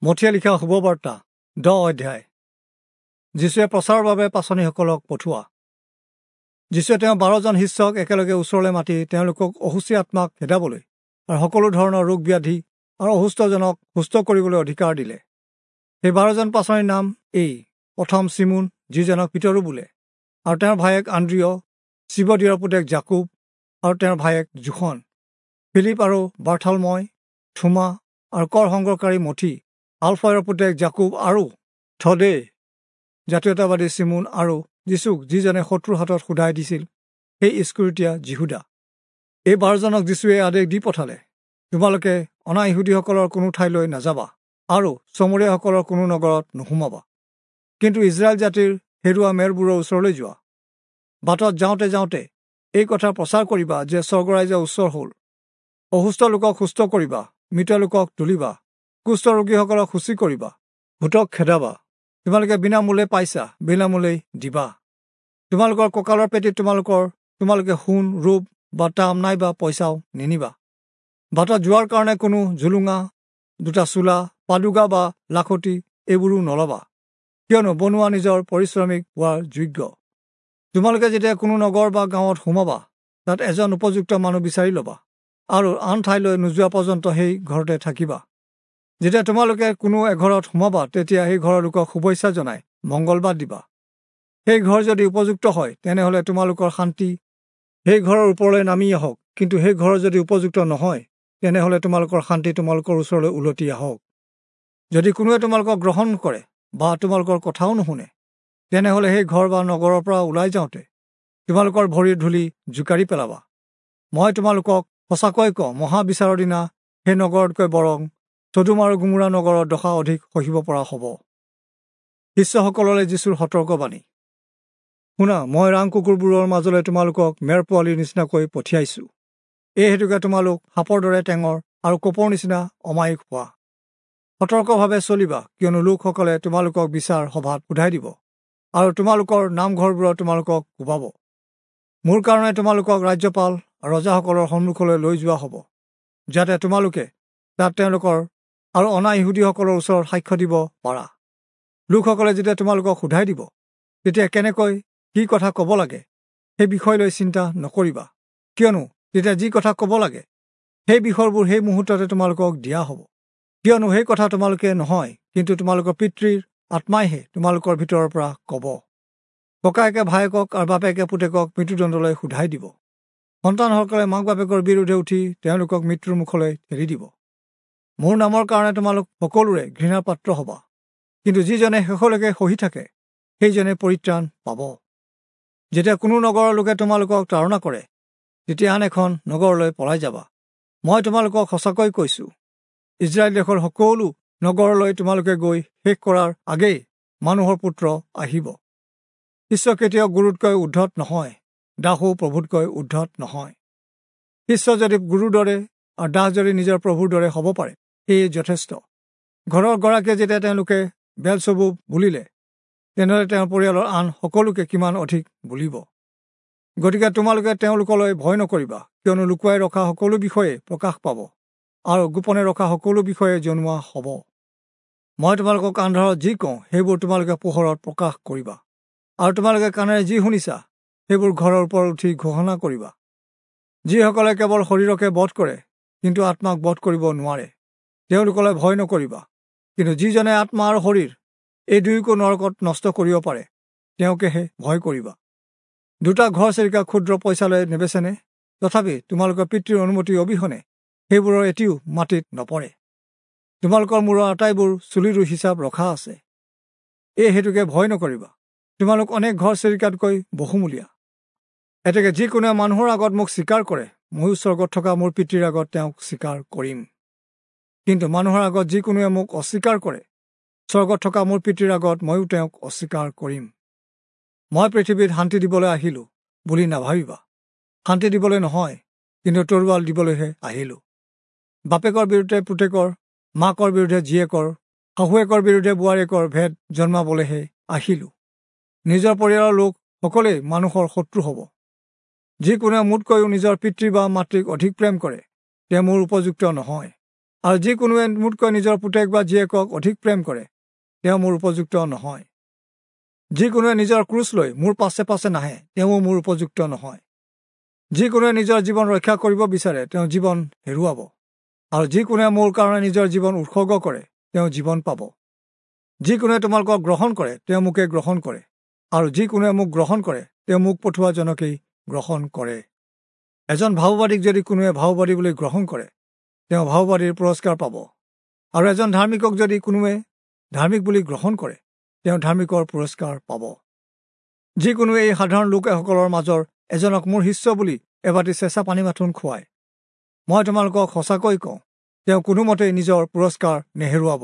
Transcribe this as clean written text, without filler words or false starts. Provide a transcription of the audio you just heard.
মথিয়ে লিখা শুভবাৰ্তা 10 অধ্যায়। যীশুৱে প্ৰচাৰৰ বাবে পাচনিসকলক পঠোৱা। যীশুৱে তেওঁ 12 জন শিষ্যক একেলগে ওচৰলৈ মাতি তেওঁলোকক অশুচি আত্মাক খেদাবলৈ আৰু সকলো ধৰণৰ ৰোগ ব্যাধি আৰু অসুস্থজনক সুস্থ কৰিবলৈ অধিকাৰ দিলে। সেই 12 জন পাচনিৰ নাম এই: প্ৰথম চিমোন, যিজনক পিতৰো বোলে, আৰু তেওঁৰ ভায়েক আন্দ্ৰিয়, চিবদিয়ৰ পুতেক জাকুব আৰু তেওঁৰ ভায়েক জোখন, ফিলিপ আৰু বাৰ্থালময়, থোমা আৰু কৰ সংগ্ৰহকাৰী মথি, আলফয়ৰ পুতেক জাকুব আৰু থদে, জাতীয়তাবাদী চিমোন আৰু যীচুক যিজনে শত্ৰুৰ হাতত সোধাই দিছিল সেই ইস্কৰিতীয়া যিহুদা। এই 12 জনক যীচুৱে আদেশ দি পঠালে, তোমালোকে অনা ইহুদীসকলৰ কোনো ঠাইলৈ নাযাবা আৰু চমৰীয়াসকলৰ কোনো নগৰত নোসোমাবা, কিন্তু ইজৰাইল জাতিৰ হেৰুৱা মেৰবোৰৰ ওচৰলৈ যোৱা। বাটত যাওঁতে যাওঁতে এই কথা প্ৰচাৰ কৰিবা যে স্বৰ্গৰাজ্য ওচৰ হ'ল। অসুস্থ লোকক সুস্থ কৰিবা, মৃত লোকক তুলিবা, কুষ্ঠ ৰোগীসকলক শুচি কৰিবা, ভূতক খেদাবা। তোমালোকে বিনামূল্যে পাইছা, বিনামূল্যেই দিবা। তোমালোকৰ কঁকালৰ পেটিত তোমালোকে সোণ, ৰূপ বা তাম নাইবা পইচাও নিনিবা। বাটত যোৱাৰ কাৰণে কোনো জুলুঙা, দুটা চোলা, পাদুকা বা লাখুটি এইবোৰো নলবা, কিয়নো বনোৱা নিজৰ পৰিশ্ৰমিক হোৱাৰ যোগ্য। তোমালোকে যেতিয়া কোনো নগৰ বা গাঁৱত সোমাবা, তাত এজন উপযুক্ত মানুহ বিচাৰি ল'বা আৰু আন ঠাইলৈ নোযোৱা পৰ্যন্ত সেই ঘৰতে থাকিবা। যেতিয়া তোমালোকে কোনো এঘৰত সোমাবা, তেতিয়া সেই ঘৰৰ লোকক শুভেচ্ছা জনাই মংগলবাদ দিবা। সেই ঘৰ যদি উপযুক্ত হয়, তেনেহ'লে তোমালোকৰ শান্তি সেই ঘৰৰ ওপৰলৈ নামি আহক, কিন্তু সেই ঘৰ যদি উপযুক্ত নহয়, তেনেহ'লে তোমালোকৰ শান্তি তোমালোকৰ ওচৰলৈ উলটি আহক। যদি কোনোৱে তোমালোকক গ্ৰহণ কৰে বা তোমালোকৰ কথাও নুশুনে, তেনেহ'লে সেই ঘৰ বা নগৰৰ পৰা ওলাই যাওঁতে তোমালোকৰ ভৰিৰ ধূলি জোকাৰি পেলাবা। মই তোমালোকক সঁচাকৈ কওঁ, মহাবিচাৰৰ দিনা সেই নগৰতকৈ বৰং চদোম আৰু গোমোৰা নগৰৰ দশা অধিক সহিব পৰা হ'ব। শিষ্যসকললৈ যীচুৰ সতৰ্কবাণী। শুনা, মই ৰাং কুকুৰবোৰৰ মাজলৈ তোমালোকক মেৰ পোৱালিৰ নিচিনাকৈ পঠিয়াইছোঁ। এই হেতুকে তোমালোক সাপৰ দৰে টেঙৰ আৰু কপৰ নিচিনা অমায়িক হোৱা। সতৰ্কভাৱে চলিবা, কিয়নো লোকসকলে তোমালোকক বিচাৰ সভাত সোধাই দিব আৰু তোমালোকৰ নামঘৰবোৰত তোমালোকক কোবাব। মোৰ কাৰণে তোমালোকক ৰাজ্যপাল আৰু ৰজাসকলৰ সন্মুখলৈ লৈ যোৱা হ'ব, যাতে তোমালোকে তাত তেওঁলোকৰ আৰু অনা ইহুদীসকলৰ ওচৰত সাক্ষ্য দিব পাৰা। লোকসকলে যেতিয়া তোমালোকক সোধাই দিব, তেতিয়া কেনেকৈ কি কথা ক'ব লাগে সেই বিষয় লৈ চিন্তা নকৰিবা, কিয়নো তেতিয়া যি কথা ক'ব লাগে সেই বিষয়বোৰ সেই মুহূৰ্ততে তোমালোকক দিয়া হ'ব। কিয়নো সেই কথা তোমালোকে নহয়, কিন্তু তোমালোকৰ পিতৃৰ আত্মাইহে তোমালোকৰ ভিতৰৰ পৰা ক'ব। ককায়েকে ভায়েকক আৰু বাপেকে পুতেকক মৃত্যুদণ্ডলৈ সোধাই দিব। সন্তানসকলে মাক বাপেকৰ বিৰুদ্ধে উঠি তেওঁলোকক মৃত্যুৰ মুখলৈ ঠেলি দিব। মোৰ নামৰ কাৰণে তোমালোক সকলোৰে ঘৃণাৰ পাত্ৰ হ'বা, কিন্তু যিজনে শেষলৈকে সহি থাকে সেইজনে পৰিত্ৰাণ পাব। যেতিয়া কোনো নগৰৰ লোকে তোমালোকক তাড়না কৰে, তেতিয়া আন এখন নগৰলৈ পলাই যাবা। মই তোমালোকক সঁচাকৈ কৈছোঁ, ইজৰাইল দেশৰ সকলো নগৰলৈ তোমালোকে গৈ শেষ কৰাৰ আগেই মানুহৰ পুত্ৰ আহিব। শিষ্য কেতিয়াও গুৰুতকৈ উৰ্ধত নহয়, দাসো প্ৰভুতকৈ উৰ্ধত নহয়। শিষ্য যদি গুৰুৰ দৰে আৰু দাস যদি নিজৰ প্ৰভুৰ দৰে হ'ব পাৰে, সেয়ে যথেষ্ট। ঘৰৰ গৰাকীয়ে যেতিয়া তেওঁলোকে বেলচবুব বুলিলে, তেনেহ'লে তেওঁৰ পৰিয়ালৰ আন সকলোকে কিমান অধিক বুলিব। গতিকে তোমালোকে তেওঁলোকলৈ ভয় নকৰিবা, কিয়নো লুকুৱাই ৰখা সকলো বিষয়ে প্ৰকাশ পাব আৰু গোপনে ৰখা সকলো বিষয়ে জনোৱা হ'ব। মই তোমালোকক আন্ধাৰত যি কওঁ, সেইবোৰ তোমালোকে পোহৰত প্ৰকাশ কৰিবা, আৰু তোমালোকে কাণেৰে যি শুনিছা, সেইবোৰ ঘৰৰ ওপৰত উঠি ঘোষণা কৰিবা। যিসকলে কেৱল শৰীৰকে বধ কৰে, কিন্তু আত্মাক বধ কৰিব নোৱাৰে, তেওঁলোকলৈ ভয় নকৰিবা। কিন্তু যিজনে আত্মা আৰু শৰীৰ এই দুয়োকো নৰকত নষ্ট কৰিব পাৰে, তেওঁকেহে ভয় কৰিবা। দুটা ঘৰচিৰিকা ক্ষুদ্ৰ পইচালৈ নেবেচেনে? তথাপি তোমালোকৰ পিতৃৰ অনুমতি অবিহনে সেইবোৰৰ এটিও মাটিত নপৰে। তোমালোকৰ মূৰৰ আটাইবোৰ চুলিৰো হিচাপ ৰখা আছে। এই হেতুকে ভয় নকৰিবা, তোমালোক অনেক ঘৰচিৰিকাতকৈ বহুমূলীয়া। এতেকে যিকোনোৱে মানুহৰ আগত মোক স্বীকাৰ কৰে, ময়ো স্বৰ্গত থকা মোৰ পিতৃৰ আগত তেওঁক স্বীকাৰ কৰিম। কিন্তু মানুহৰ আগত যিকোনোৱে মোক অস্বীকাৰ কৰে, স্বৰ্গত থকা মোৰ পিতৃৰ আগত ময়ো তেওঁক অস্বীকাৰ কৰিম। মই পৃথিৱীত শান্তি দিবলৈ আহিলোঁ বুলি নাভাবিবা। শান্তি দিবলৈ নহয়, কিন্তু তৰোৱাল দিবলৈহে আহিলোঁ। বাপেকৰ বিৰুদ্ধে পুতেকৰ, মাকৰ বিৰুদ্ধে জীয়েকৰ, শাহুৱেকৰ বিৰুদ্ধে বোৱাৰীয়েকৰ ভেদ জন্মাবলৈহে আহিলোঁ। নিজৰ পৰিয়ালৰ লোক সকলোৱেই মানুহৰ শত্ৰু হ'ব। যিকোনোৱে মোতকৈও নিজৰ পিতৃ বা মাতৃক অধিক প্ৰেম কৰে, তেওঁ মোৰ উপযুক্ত নহয়। আৰু যি কোনোৱে মোতকৈ নিজৰ পুতেক বা জীয়েকক অধিক প্ৰেম কৰে, তেওঁ মোৰ উপযুক্ত নহয়। যি কোনোৱে নিজৰ ক্ৰুচ লৈ মোৰ পাছে পাছে নাহে, তেওঁও মোৰ উপযুক্ত নহয়। যি কোনোৱে নিজৰ জীৱন ৰক্ষা কৰিব বিচাৰে, তেওঁ জীৱন হেৰুৱাব, আৰু যি কোনোৱে মোৰ কাৰণে নিজৰ জীৱন উৎসৰ্গ কৰে, তেওঁ জীৱন পাব। যি কোনোৱে তোমালোকক গ্ৰহণ কৰে, তেওঁ মোকে গ্ৰহণ কৰে, আৰু যি কোনোৱে মোক গ্ৰহণ কৰে, তেওঁ মোক পঠোৱাজনকেই গ্ৰহণ কৰে। এজন ভাওবাদীক যদি কোনোৱে ভাওবাদী বুলি গ্ৰহণ কৰে, তেওঁ ভাওবাদীৰ পুৰস্কাৰ পাব, আৰু এজন ধাৰ্মিকক যদি কোনোৱে ধাৰ্মিক বুলি গ্ৰহণ কৰে, তেওঁ ধাৰ্মিকৰ পুৰস্কাৰ পাব। যি কোনোৱে এই সাধাৰণ লোকসকলৰ মাজৰ এজনক মোৰ শিষ্য বুলি এবাটি চেঁচা পানী মাথোন খুৱায়, মই তোমালোকক সঁচাকৈ কওঁ, তেওঁ কোনোমতেই নিজৰ পুৰস্কাৰ নেহেৰুৱাব।